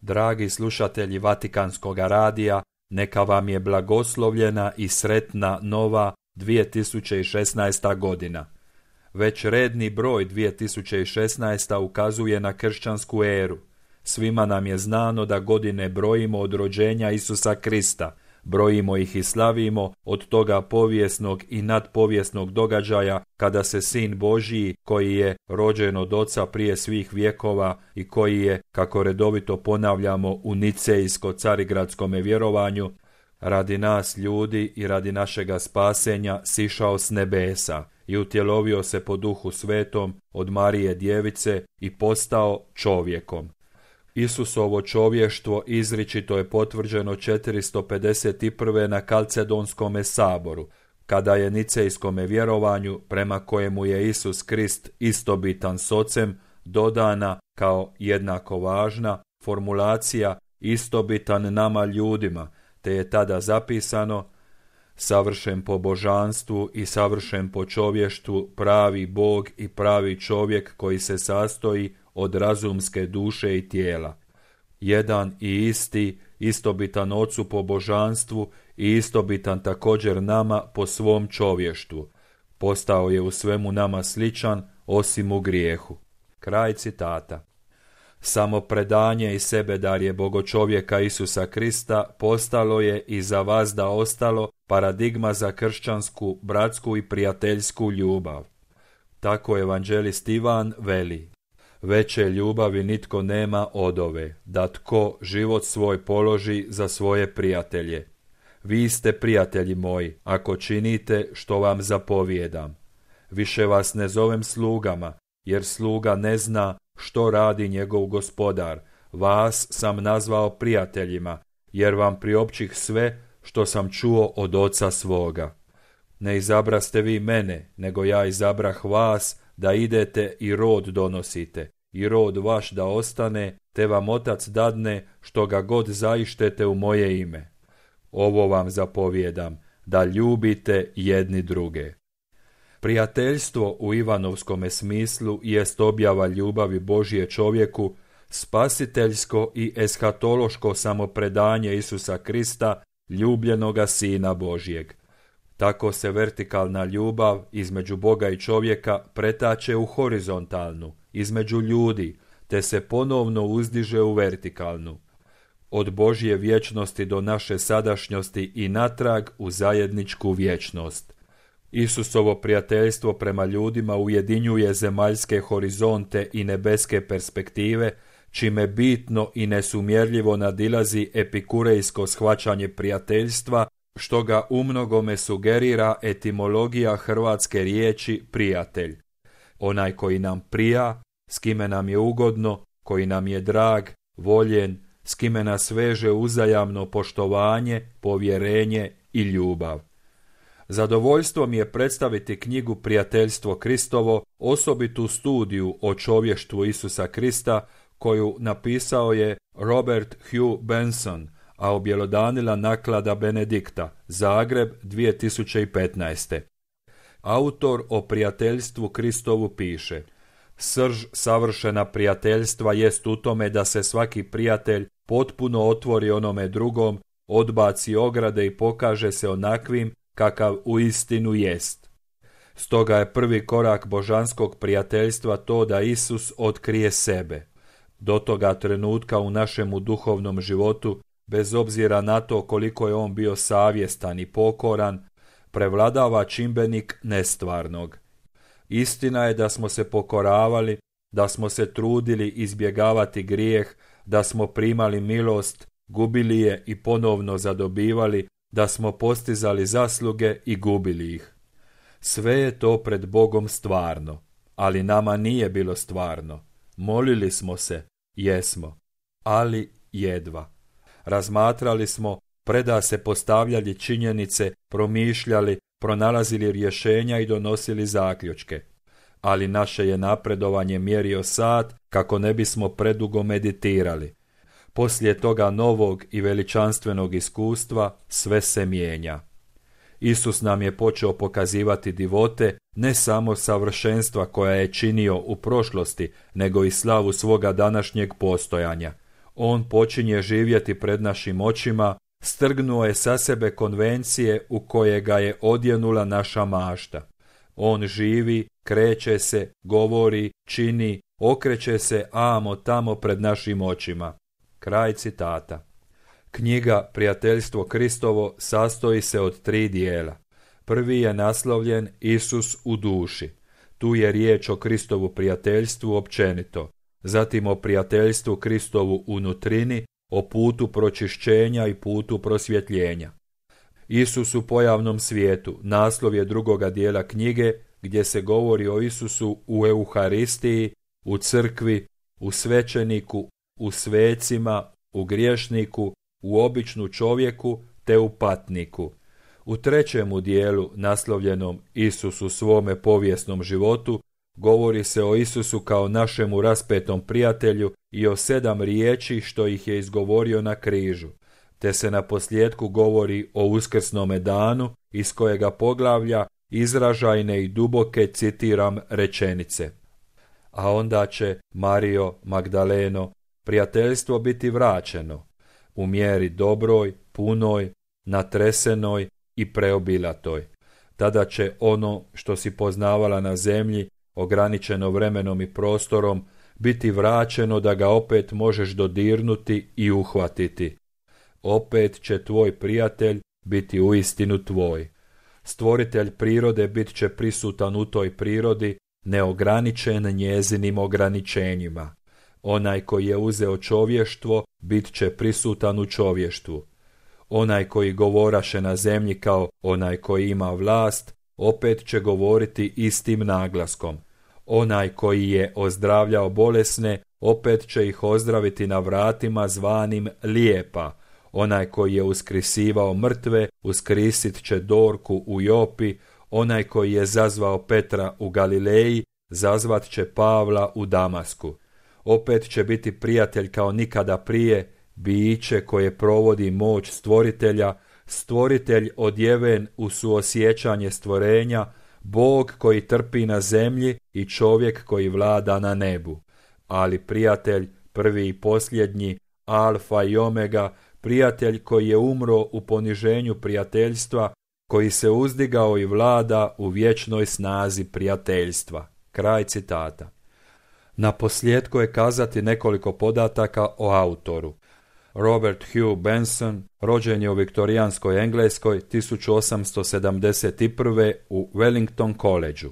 Dragi slušatelji Vatikanskog radija, neka vam je blagoslovljena i sretna nova 2016. godina. Već redni broj 2016. ukazuje na kršćansku eru. Svima nam je znano da godine brojimo od rođenja Isusa Krista, brojimo ih i slavimo od toga povijesnog i nadpovijesnog događaja kada se Sin Božji, koji je rođen od Oca prije svih vjekova i koji je, kako redovito ponavljamo u nicejsko-carigradskome vjerovanju, radi nas ljudi i radi našega spasenja sišao s nebesa i utjelovio se po Duhu Svetom od Marije Djevice i postao čovjekom. Isusovo čovještvo izričito je potvrđeno 451. na Kalcedonskome saboru, kada je nicejskome vjerovanju, prema kojemu je Isus Krist istobitan s Ocem, dodana kao jednako važna formulacija istobitan nama ljudima, te je tada zapisano: savršen po božanstvu i savršen po čovještvu, pravi Bog i pravi čovjek koji se sastoji od razumske duše i tijela. Jedan i isti, istobitan Ocu po božanstvu i istobitan također nama po svom čovještvu. Postao je u svemu nama sličan, osim u grijehu. Kraj citata. Samo predanje i sebedarje bogočovjeka Isusa Krista postalo je i za vas da ostalo paradigma za kršćansku, bratsku i prijateljsku ljubav. Tako evanđelist Ivan veli: veće ljubavi nitko nema od ove, da tko život svoj položi za svoje prijatelje. Vi ste prijatelji moji, ako činite što vam zapovijedam. Više vas ne zovem slugama, jer sluga ne zna što radi njegov gospodar. Vas sam nazvao prijateljima, jer vam priopćih sve što sam čuo od Oca svoga. Ne izabraste vi mene, nego ja izabrah vas, da idete i rod donosite, i rod vaš da ostane, te vam Otac dadne što ga god zaištete u moje ime. Ovo vam zapovijedam, da ljubite jedni druge. Prijateljstvo u Ivanovskome smislu jest objava ljubavi Božje čovjeku, spasiteljsko i eshatološko samopredanje Isusa Krista, ljubljenoga Sina Božjeg. Tako se vertikalna ljubav između Boga i čovjeka pretače u horizontalnu, između ljudi, te se ponovno uzdiže u vertikalnu. Od Božje vječnosti do naše sadašnjosti i natrag u zajedničku vječnost. Isusovo prijateljstvo prema ljudima ujedinjuje zemaljske horizonte i nebeske perspektive, čime bitno i nesumjerljivo nadilazi epikurejsko shvaćanje prijateljstva, što ga umnogome sugerira etimologija hrvatske riječi prijatelj. Onaj koji nam prija, s kime nam je ugodno, koji nam je drag, voljen, s kime nas veže uzajamno poštovanje, povjerenje i ljubav. Zadovoljstvo mi je predstaviti knjigu Prijateljstvo Kristovo, osobitu studiju o čovještvu Isusa Krista, koju napisao je Robert Hugh Benson, a objelodanila naklada Benedikta, Zagreb 2015. Autor o prijateljstvu Kristovu piše: srž savršena prijateljstva jest u tome da se svaki prijatelj potpuno otvori onome drugom, odbaci ograde i pokaže se onakvim kakav uistinu jest. Stoga je prvi korak božanskog prijateljstva to da Isus otkrije sebe. Do toga trenutka u našemu duhovnom životu, bez obzira na to koliko je on bio savjestan i pokoran, prevladava čimbenik nestvarnog. Istina je da smo se pokoravali, da smo se trudili izbjegavati grijeh, da smo primali milost, gubili je i ponovno zadobivali, da smo postizali zasluge i gubili ih. Sve je to pred Bogom stvarno, ali nama nije bilo stvarno. Molili smo se, jesmo, ali jedva. Razmatrali smo, preda se postavljali činjenice, promišljali, pronalazili rješenja i donosili zaključke. Ali naše je napredovanje mjerio sat kako ne bismo predugo meditirali. Poslije toga novog i veličanstvenog iskustva sve se mijenja. Isus nam je počeo pokazivati divote, ne samo savršenstva koja je činio u prošlosti, nego i slavu svoga današnjeg postojanja. On počinje živjeti pred našim očima, strgnuo je sa sebe konvencije u koje ga je odjenula naša mašta. On živi, kreće se, govori, čini, okreće se amo tamo pred našim očima. Kraj citata. Knjiga Prijateljstvo Kristovo sastoji se od 3 dijela. Prvi je naslovljen Isus u duši. Tu je riječ o Kristovu prijateljstvu općenito, zatim o prijateljstvu Kristovu unutrini, o putu pročišćenja i putu prosvjetljenja. Isus u pojavnom svijetu naslov je drugoga dijela knjige, gdje se govori o Isusu u Euharistiji, u crkvi, u svećeniku, u svecima, u griješniku, u običnu čovjeku te u patniku. U trećemu dijelu, naslovljenom Isus u svome povijesnom životu, govori se o Isusu kao našemu raspetom prijatelju i o 7 riječi što ih je izgovorio na križu, te se na posljedku govori o uskrsnome danu iz kojega poglavlja izražajne i duboke, citiram, rečenice. A onda će, Marijo Magdaleno, prijateljstvo biti vraćeno, u mjeri dobroj, punoj, natresenoj i preobilatoj. Tada će ono što si poznavala na zemlji, ograničeno vremenom i prostorom, biti vraćeno da ga opet možeš dodirnuti i uhvatiti. Opet će tvoj prijatelj biti uistinu tvoj. Stvoritelj prirode bit će prisutan u toj prirodi, neograničen njezinim ograničenjima. Onaj koji je uzeo čovještvo bit će prisutan u čovještvu. Onaj koji govoraše na zemlji kao onaj koji ima vlast, opet će govoriti istim naglaskom. Onaj koji je ozdravljao bolesne, opet će ih ozdraviti na vratima zvanim lijepa. Onaj koji je uskrisivao mrtve, uskrisit će Dorku u Jopi. Onaj koji je zazvao Petra u Galileji, zazvat će Pavla u Damasku. Opet će biti prijatelj kao nikada prije, biće koje provodi moć stvoritelja, stvoritelj odjeven u suosjećanje stvorenja, Bog koji trpi na zemlji i čovjek koji vlada na nebu. Ali prijatelj, prvi i posljednji, alfa i omega, prijatelj koji je umro u poniženju prijateljstva, koji se uzdigao i vlada u vječnoj snazi prijateljstva. Kraj citata. Na posljedku je kazati nekoliko podataka o autoru. Robert Hugh Benson rođen je u viktorijanskoj Engleskoj 1871. u Wellington Collegeu.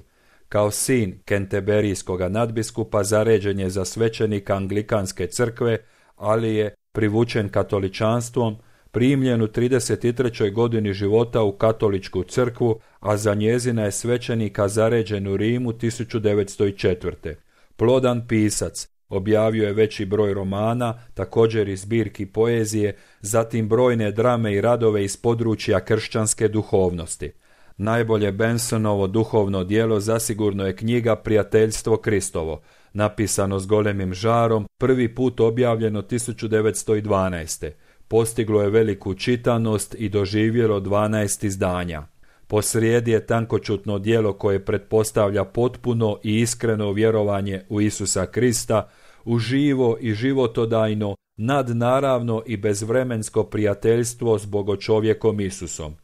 Kao sin kenteberijskog nadbiskupa zaređen je za svećenika Anglikanske crkve, ali je privučen katoličanstvom, primljen u 33. godini života u katoličku crkvu, a za njezina je svećenika zaređen u Rimu 1904. Plodan pisac, objavio je veći broj romana, također i zbirki poezije, zatim brojne drame i radove iz područja kršćanske duhovnosti. Najbolje Bensonovo duhovno djelo zasigurno je knjiga Prijateljstvo Kristovo, napisano s golemim žarom, prvi put objavljeno 1912. Postiglo je veliku čitanost i doživjelo 12 izdanja. Posrijedi je tankočutno djelo koje pretpostavlja potpuno i iskreno vjerovanje u Isusa Krista, u živo i životodajno, nadnaravno i bezvremensko prijateljstvo s bogočovjekom Isusom.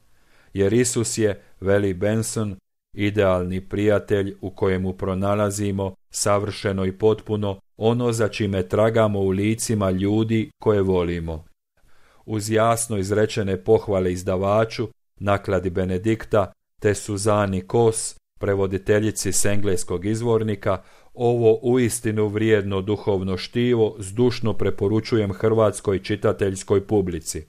Jer Isus je, veli Benson, idealni prijatelj u kojemu pronalazimo savršeno i potpuno ono za čime tragamo u licima ljudi koje volimo. Uz jasno izrečene pohvale izdavaču, nakladi Benedikta, te Suzani Kos, prevoditeljici s engleskog izvornika, ovo uistinu vrijedno duhovno štivo zdušno preporučujem hrvatskoj čitateljskoj publici.